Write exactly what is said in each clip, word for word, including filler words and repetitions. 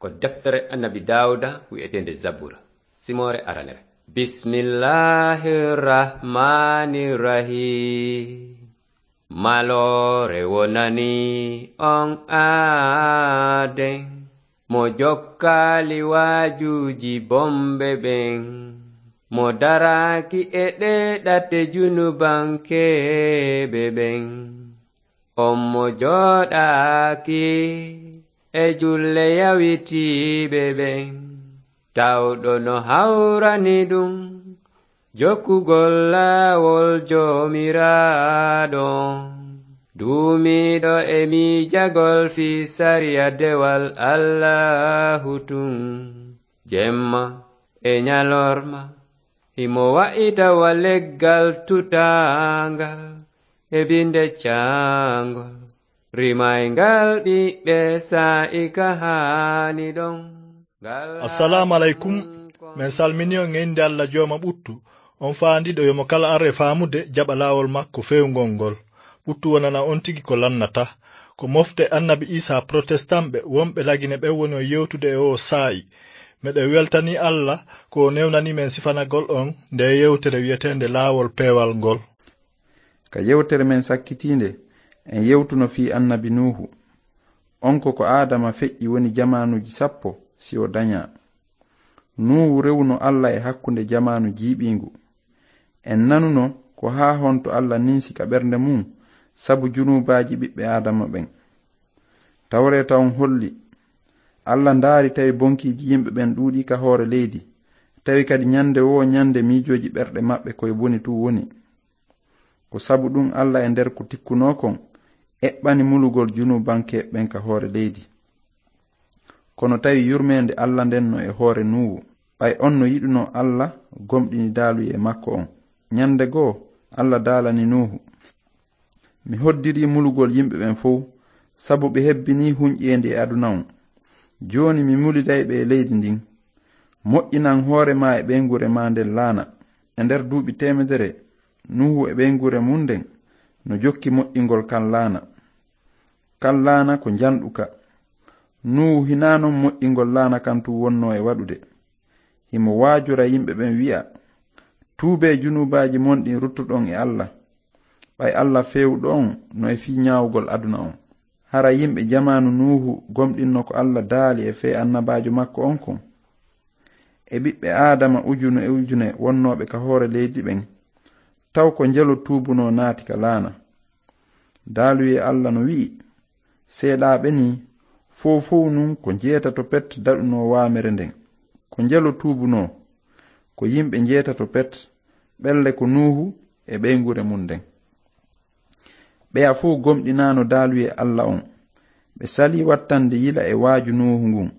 Ko deftere Annabi Daawuda wi'eteende Zabura, simoore aranere. Bismillahir Rahmanir Rahim. Maloore wonani on aaden, mo jokkaali waajuuji bonɓe ɓen, mo daraaki e ɗee ɗate junubankeeɓe ɓen. On mo jooɗaaki e julle yawitiiɓe ɓen, tawɗo no hawrani ɗum jokkugol laawol Joomiraaɗo. Duumiiɗo e miijagol fii sariya dewal Allaahu tun, jemma e ñalorma, himo wa'ita wa leggal tutaangal e binde caangol, rimayngal ɓiɓɓe saa'i ka haani ɗon. Ngal Assalaamu aleykum. Haani kon Men salmini on e innde Alla Jooma ɓuttu, on faandiiɗo yo mo kala ar e faamude jaɓa laawol makko feewngol ngol. Ɓuttu wonana on tigi ko lannata. Ko mofte Annabi Iisaa Protestanɓe wonɓe Lagine ɓen woni on yewtude e oo saa'i. Meɗen weltanii Alla ko o newnanii men sifanagol on ndee yewtere wi'eteende Laawol Peewal ngol. Ka yewtere men sakkitiinde, en yewtuno fii Annabi Nuuhu. On ko ko Aadama feƴƴi woni jamaanuuji sappo si o dañaa. Nuuhu rewuno Alla e hakkunde jamaanu jiiɓiingu. En nanuno ko haa honto Alla ninsi ka ɓernde mun sabu junuubaaji ɓiɓɓe Aadama ɓen. Tawreeta on holli, Alla ndaari tawi bonkiiji yimɓe ɓen ɗuuɗii ka hoore leydi, tawi kadi ñande woo ñande miijooji ɓerɗe maɓɓe ko e boni tun woni. Ko sabu ɗun Alla e nder ko tikkunoo kon eɓɓani mulugol junuubankeeɓe ɓen ka hoore leydi. Kono tawi yurmeende Alla nden no e hoore Nuuhu, ɓay on no yiɗunoo Alla gomɗini daaluyee makko on. Ñande goo, Alla daalani Nuuhu, Mi hoddirii mulugol yimɓe ɓen fow, sabu ɓe hebbinii hunƴeendi e aduna on. Jooni mi muliday ɓe e leydi ndin. Moƴƴinan hoore maa e ɓeynguure maa nden laana. E nder duuɓi teemedere, Nuuhu e ɓeynguure mun nden no jokki moƴƴingol kan laana. Kan laana ko njanɗuka. Nuuhu hinaa non moƴƴingol laana kan tun wonnoo e waɗude. Himo waajora yimɓe ɓen wi'a, Tuubee junuubaaji mon ɗin ruttoɗon e Alla. Ɓay Alla feewuɗo on no e fii ñaawugol aduna on. Hara yimɓe jamaanu Nuuhu gomɗinno ko Alla daali e fee annabaajo makko on kon? E ɓiɓɓe Aadama ujune e ujune wonnooɓe ka hoore leydi ɓen, taw ko njelo tuubunoo naati ka laana? Daaluyee Alla no wi'i, Seeɗaaɓe nii, fow fow nun ko njeetato pet daɗunoo waamere nden. Ko njelo tuubunoo, ko yimɓe njeetato pet, ɓelle ko Nuuhu e ɓeynguure mun nden. Ɓeya fow gomɗinaano daaluyee Alla on. Ɓe salii wattande yila e waaju Nuuhu ngun.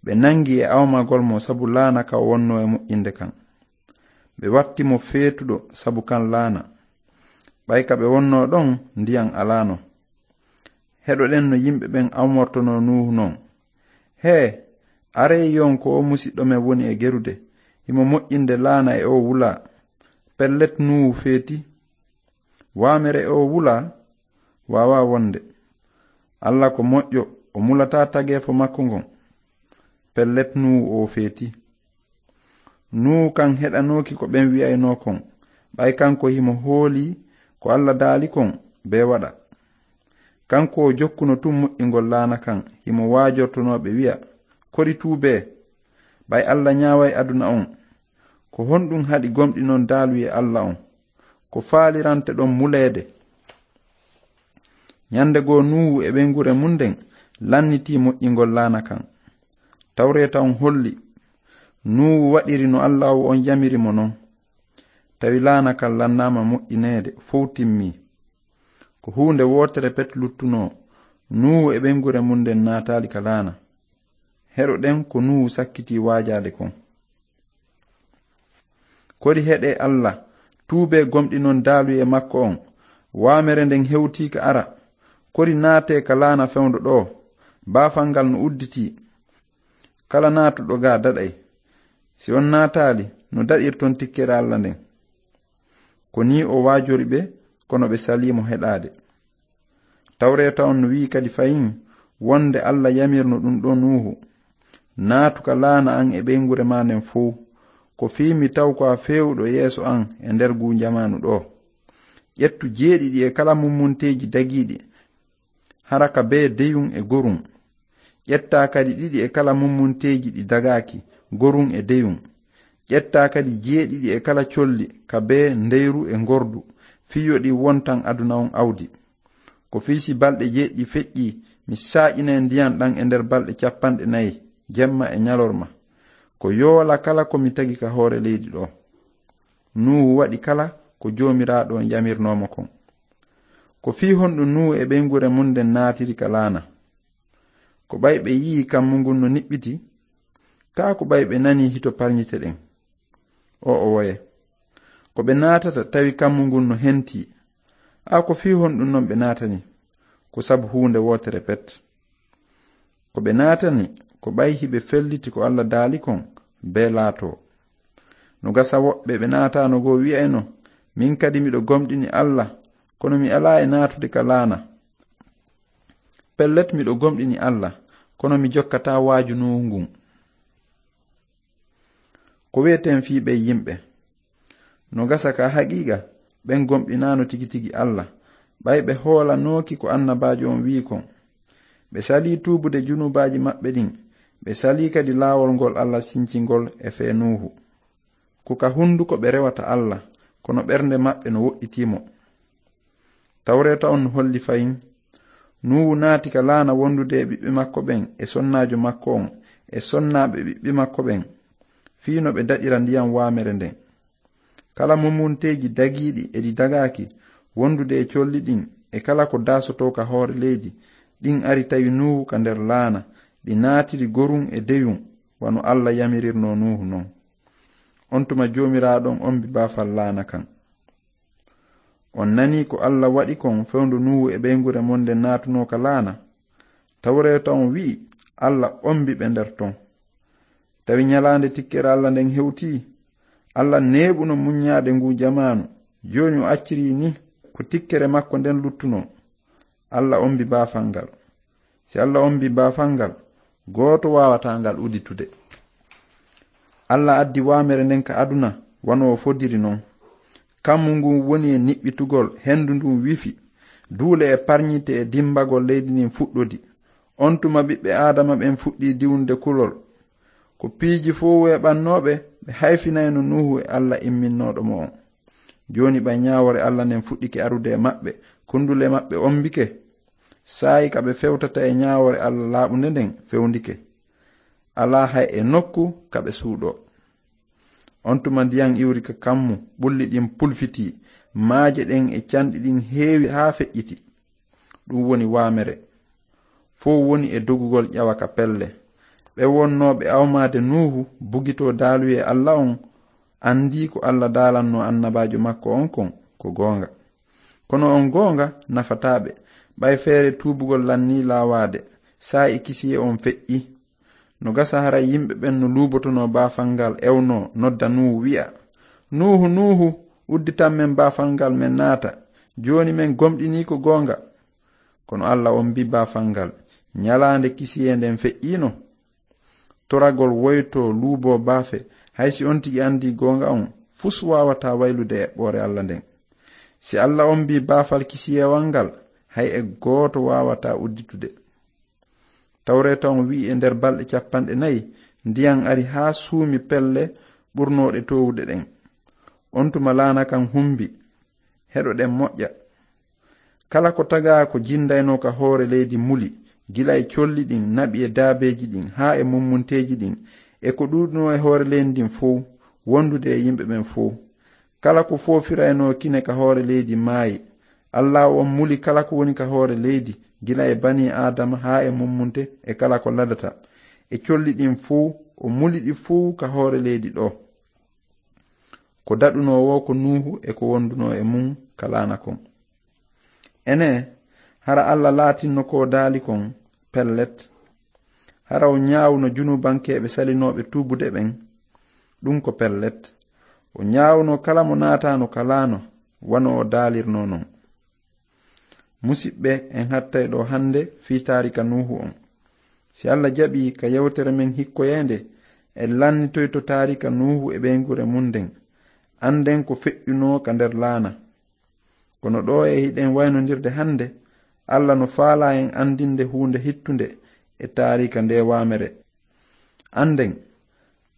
Ɓe nangi e awmagol mo sabu laana ka o wonnoo e moƴƴinde kan. Ɓe watti mo feetuɗo sabu kan laana. Ɓay ka ɓe wonnoo ɗon, ndiyan alaano. Heɗoɗen no yimɓe ɓen awmortonoo Nuuhu non. Hee, aree yi'on ko oo musiɗɗo men woni e gerude, himo moƴƴinde laana e oo wulaa. Pellet Nuuhu feeti. Waamere e oo wulaa? Waawaa wonde. Alla ko moƴƴo, o mulataa tageefo makko ngon. Pellet Nuuhu oo feeti. Nuuhu kan heɗanooki ko ɓen wi'aynoo kon, ɓay kanko himo hoolii ko Alla daali kon bee waɗa. Kanko o jokkuno tun moƴƴingol laana kan, himo waajortonoo ɓe wi'a, Kori tuubee, ɓay Alla ñaaway aduna on. Ko honɗun haɗi gomɗinon daaluyee Alla on? Ko faalirante ɗon muleede? Ñande goo Nuuhu e ɓeynguure mun nden lannitii moƴƴingol laana kan. Tawreeta on holli, Nuuhu waɗiri no Allaahu on yamiri mo non. Tawi laana kan lannaama moƴƴineede, fow timmii. Ko huunde wootere pet luttunoo, Nuuhu e ɓeynguure mun nden naataali ka laana. Heɗoɗen ko Nuuhu sakkitii waajaade kon. Kori heɗee Alla, tuubee gomɗinon daaluyee makko on. Waamere nden hewtii ka ara. Kori naatee ka laana fewndo ɗoo. Baafal ngal no udditii. Kala naatuɗo gaa daɗay. Si on naataali, no daɗirton tikkere Alla nden? Ko nii o waajori ɓe, kono ɓe salii mo heɗaade. Tawreeta on no wi'i kadi fahin wonde Alla yamirno ɗun ɗoo Nuuhu. Naatu ka laana an e ɓeynguure maa nden fow. Ko fii mi taw ko a feewuɗo yeeso an e nder nguu njamaanu ɗoo. Ƴettu jeeɗiɗi e kala mummunteeji dagiiɗi, hara ka bee deyun e gorun. Ƴettaa kadi ɗiɗi e kala mummunteeji ɗi dagaaki, gorun e deyun. Ƴettaa kadi jeeɗiɗi e kala colli ka bee ndeyru e ngordu, fii yo ɗi wontan aduna on awdi. Ko fii si balɗe jeeɗiɗi feƴƴii, mi saaƴinay ndiyan ɗan e nder balɗe cappanɗe nayi, jemma e ɲalorma. Ko yoola kala ko mi tagi ka hoore leydi ɗoo. Nuuhu waɗi kala ko Joomiraaɗo on yamirnoo mo kon. Ko fii honɗun Nuuhu e ɓeynguure mun nden naatiri ka laana? Ko ɓay ɓe yi'ii kammu ngun no niɓɓiti? Kaa ko ɓay ɓe nanii hito parɲite ɗen? O'o woye. Ko ɓe naatata tawi kammu ngun no hentii. A ko fii honɗun non ɓe naatani? Ko sabu huunde wootere pet. Ko ɓe naatani, ko ɓay hiɓe felliti ko Alla daali kon, bee laatoo. No gasa woɓɓe ɓe naataano goo wi'ayno, "Min kadi miɗo gomɗini Alla, kono mi alaa e naatude ka laana. Pellet miɗo gomɗini Alla, kono mi jokkataa waaju Nuuhu ngun." Ko wi'eten fii ɓee yimɓe? No gasa ka haqiiqa, ɓen gomɗinaano tigi tigi Alla, ɓay ɓe hoolanooki ko annabaajo on wi'i kon. Ɓe salii tuubude junubaaji maɓɓe ɗin, ɓe salii kadi laawol ngol Alla sinci ngol e fee Nuuhu. Ko ka hunduko ɓe rewata Alla, kono ɓernde maɓɓe no woɗɗitii mo. Tawreeta on no holli fahin, Nuuhu naati ka laana wondude e ɓiɓɓe makko ɓen e sonnaajo makko on e sonnaaɓe ɓiɓɓe makko ɓen, fii no ɓe daɗira ndiyan waamere nden. Kala mumunteeji dagiiɗi e ɗi dagaaki wondude e colli ɗin e kala ko daasotoo ka hoore leydi, ɗin ari tawi Nuuhu ka nder laana, ɗi naatiri gorun e deyun, wano Alla yamirirnoo Nuuhu non. On tuma Joomiraaɗo on ombi baafal laana kan. On nanii ko Alla waɗi kon fewndo Nuuhu e ɓeynguure mun nden naatunoo ka laana. Tawreeta on wi'i Alla ombi ɓe nder ton. Tawi ɲalaande tikkere Alla nden hewtii. Alla neeɓuno muɲɲaade nguu jamaanu. Jooni o accirii ni ko tikkere makko nden luttunoo. Alla ombi baafal ngal. Si Alla ombi baafal ngal, gooto waawataa ngal udditude. Alla addi waamere nden ka aduna, wano o fodiri non. Kammu ngun woni e niɓɓitugol, hendu ndun wifi, duule e parɲite e dimbagol leydi ndin fuɗɗodi. On tuma ɓiɓɓe Aadama ɓen fuɗɗii diwnude kulol. Ko piiji fow weeɓannooɓe, ɓe hayfinayno Nuuhu e Alla imminnooɗo mo on. Jooni ɓay ɲaawoore Alla nden fuɗɗike arude e maɓɓe, kundule maɓɓe ombike. Saa'i ka ɓe fewtata e ɲaawoore Alla laaɓunde nden fewndike. Alaa hay e nokku ka ɓe suuɗoo. On tuma ndiyan iwri ka kammu, ɓulli ɗin pulfitii, maaje ɗen e canɗi ɗin heewi haa feƴƴiti. Ɗum woni waamere. Fow woni e dogugol ƴawa ka pelle. Ɓe wonnooɓe awmaade Nuuhu bugitoo daaluyee Alla on, anndii ko Alla daalannoo annabaajo makko on kon ko goonga. Kono on goonga nafataa ɓe, ɓay feere tuubugol lannii laawaade, saa'i kisiyee on feƴƴi. No gasa haray yimɓe ɓen no luubotonoo baafal ngal ewnoo, nodda Nuuhu, wi'a, "Nuuhu, Nuuhu, udditan men baafal ngal men naata. Jooni men gomɗinii ko goonga." Kono Alla ombii baafal ngal, ɲalaande kisiyee nden feƴƴiino. Toragol woytoo luuboo baafe, hay si on tigi anndii goonga on, fus waawataa waylude eɓɓoore Alla nden. Si Alla ombii baafal kisiyeewal ngal, hay e gooto waawataa udditude. Tawreeta on wi'i e nder balɗe cappanɗe nayi, ndiyan ari haa suumi pelle ɓurnooɗe toowude ɗen. On tuma laana kan humbi, heɗoɗen moƴƴa. Kala ko tagaa ko jindaynoo ka hoore leydi muli, gila e colli ɗin, naɓi e daabeeji ɗin, haa e mummunteeji ɗin, e ko ɗuuɗunoo e hoore leydi ndin fow, wondude e yimɓe ɓen fow. Kala ko foofiraynoo kine ka hoore leydi maayi. Allaahu on muli kala ko woni ka hoore leydi, gila e banii Aadama haa e mummunte e kala ko ladata. E colli ɗin fow, o muli ɗi fow ka hoore leydi ɗoo. Ko daɗunoo woo ko Nuuhu e ko wondunoo e mun ka laana kon. Enee, hara Alla laatinno ko o daali kon pellet? Hara o ɲaawuno junubankeeɓe salinooɓe tuubude ɓen? Ɗum ko pellet. O ɲaawuno kala mo naataano ka laana, wano o daalirnoo non. Musiɓɓe, en hattay ɗoo hannde fii taarika Nuuhu on. Si Alla jaɓii ka yewtere men hikkoyeende, en lannitoyto taarika Nuuhu e ɓeynguure mun nden. Annden ko feƴƴunoo ka nder laana. Kono ɗoo e hiɗen waynondirde hannde, Alla no faalaa en anndinde huunde hittunde e taarika ndee waamere. Annden,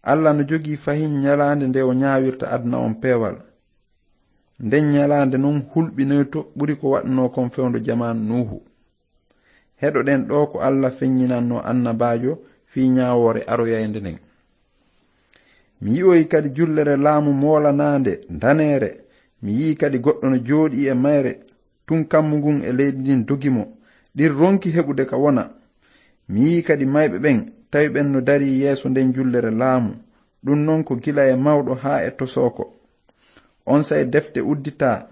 Alla no jogii fahin ñalaande nde o ñaawirta aduna on peewal. Nden ñalaande non hulɓinoyto ɓuri ko waɗnoo kon fewndo jamaanu Nuuhu. Heɗoɗen ɗoo ko Alla feññinannoo annabaajo fii ñaawoore aroyaynde nden. Mi yi'oyi kadi jullere laamu moolanaande, daneere. Mi yi'i kadi goɗɗo no jooɗii e mayre, tun kammu ngun e leydi ndin dogi mo. Ɗin ronki heɓude ka wona. Mi yi'i kadi mayɓe ɓen, tawi ɓen no darii yeeso nden jullere laamu. Ɗun non ko gila e mawɗo haa e tosooko. Onsay defte udditaa,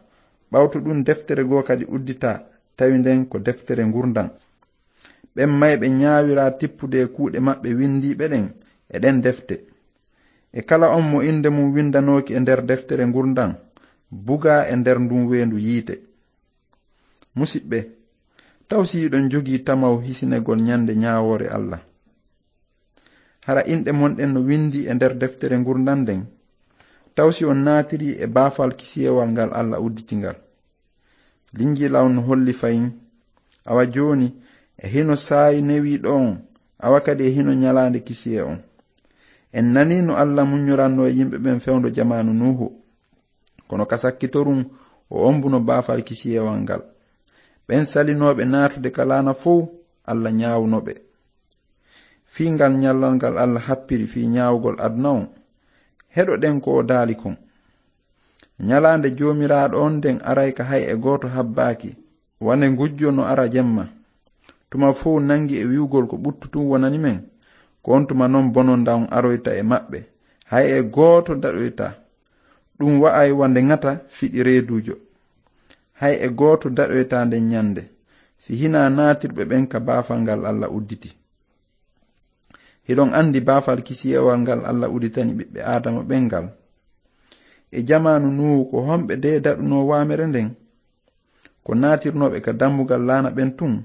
ɓawto ɗun deftere goo kadi udditaa, tawi nden ko deftere ngurndan. Ɓen mayɓe ñaawiraa tippude e kuuɗe maɓɓe windiiɓe ɗen e ɗen defte. E kala on mo innde mun windanooki e nder deftere ngurndan, bugaa e nder ndun weendu yiite. Musiɓɓe, taw si hiɗon jogii tamaw hisinegol ñande ñaawoore Alla? Hara inɗe mon ɗen no windi e nder deftere ngurndan nden? Taw si on naatirii e baafal kisiyewal ngal Alla udditi ngal? Linjiila on no holli fayin. Awa jooni, e hino saayi newiiɗo on, awa kadi e hino ñalaande kisiye on. En nanii no Alla muññorannoo e yimɓe ɓen fewndo jamaanu Nuuhu. Kono ka sakkitorun, o ombuno baafal kisiyewal ngal. Ɓen salinooɓe naatude ka laana fow, Alla ñaawuno ɓe. Fii ngal ñallal ngal Alla happiri fii ñaawugol aduna on, heɗoɗen ko o daali kon. Ñalaande Joomiraaɗo on nden aray ka hay e gooto habbaaki, wane ngujjo no ara jemma. Tuma fow nangi e wi'ugol ko ɓuttu tun wonani men, ko on tuma non bononda on aroyta e maɓɓe, hay e gooto daɗoyta. Ɗun wa'ay wande ŋata fiɗi reeduujo. Hay e gooto daɗoyta nden ñande, si hinaa naatirɓe ɓen ka baafal ngal Alla udditi. Hiɗon andi baafal kisiyewal ngal Alla udditani ɓiɓɓe Aadama ɓen ngal? E jamaanu Nuuhu, ko homɓe de daɗunoo waamere nden? Ko naatirnooɓe ka dambugal laana ɓen tun.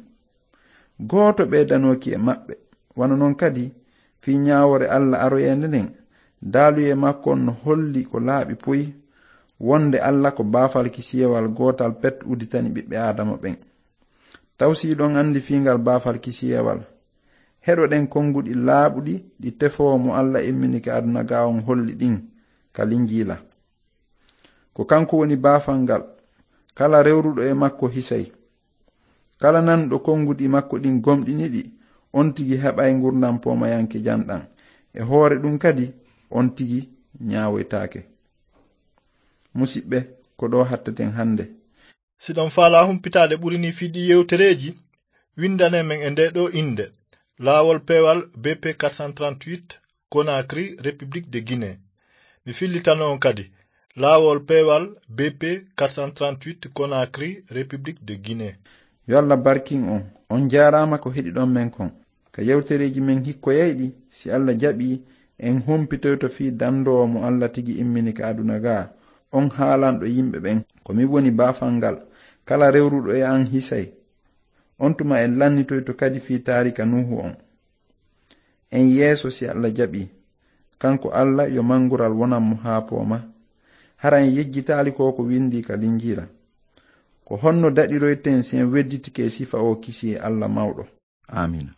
Gooto ɓeydanooki e maɓɓe. Wano non kadi, fii ñaawoore Alla aroyeende nden, daaluyee makko on no holli ko laaɓi poy, wonde Alla ko baafal kisiyewal gootal pet udditani ɓiɓɓe Aadama ɓen. Taw si hiɗon andi fii ngal baafal kisiyewal? Heɗoɗen konguɗi laaɓuɗi ɗi tefoowo mo Alla imminike aduna gaa on holli ɗin ka Linjiila. Ko kanko woni baafal ngal. Kala rewruɗo e makko hisay. Kala nanɗo konguɗi makko ɗin gomɗini ɗi, on tigi heɓay ngurndan poomayanke janɗan. E hoore ɗun kadi, on tigi ñaawoytaake. Musiɓɓe, ko ɗoo hatteten hande. Si ɗon faalaa humpitaade ɓuri nii fii ɗii yewtereeji, winndane men e ndee ɗoo innde, Laawol Peewal B P quatre cent trente-huit, Conakry, République de Guinée. Mi fillitano on kadi, Laawol Peewal B P quatre cent trente-huit, Conakry, République de Guinée. Yo Alla barkin on. On jaaraama ko heɗiɗon men kon. Ka yewtereeji men hikkoyayɗi, si Alla jaɓii, en humpitoyto fii dandoowo mo Alla tigi immini ka aduna gaa, on haalanɗo yimɓe ɓen, ko min woni baafal ngal. Kala rewruɗo e an hisay. On tuma en lannitoyto kadi fii taarika Nuuhu on. En yeeso si Alla jaɓii. Kanko Alla yo mangural wonan mo haa pooma. Hara en yejjitaali ko ko windi ka Linjiila. Ko honno daɗiroyten si en wedditike sifa o kisiyee Alla mawɗo? Aamiina.